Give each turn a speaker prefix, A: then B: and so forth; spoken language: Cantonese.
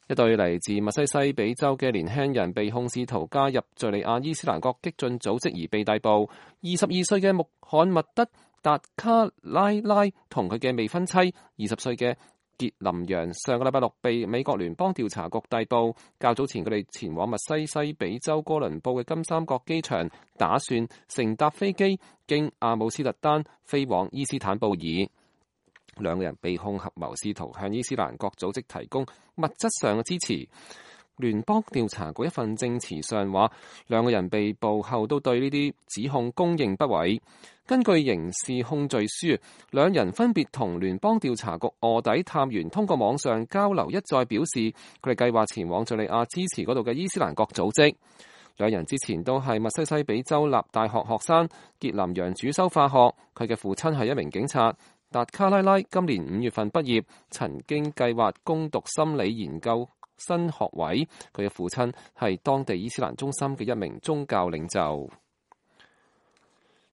A: 一對嚟自密西西比州嘅年輕人被控試圖加入敘利亞伊斯蘭國激進組織而被逮捕。22歲嘅穆罕默德·達卡拉拉同佢嘅未婚妻20歲嘅傑林揚上個禮拜六被美國聯邦調查局逮捕。較早前佢哋前往密西西比州哥倫布嘅金三角機場，打算乘搭飛機經阿姆斯特丹飛往伊斯坦布爾。兩個人被控合謀試圖向伊斯蘭國組織提供物質上嘅支持。聯邦調查局一份證詞上話，兩個人被捕後都對呢啲指控公認不諱。根據刑事控罪書，兩人分別同聯邦調查局臥底探員通過網上交流一再表示，佢哋計劃前往敘利亞支持嗰度嘅伊斯蘭國組織。兩人之前都係密西西比州立大學學生，傑林揚主修化學，佢嘅父親係一名警察。達卡拉拉今年5月份畢業，曾經計劃攻讀心理研究新學位。佢嘅父親係當地伊斯蘭中心嘅一名宗教領袖。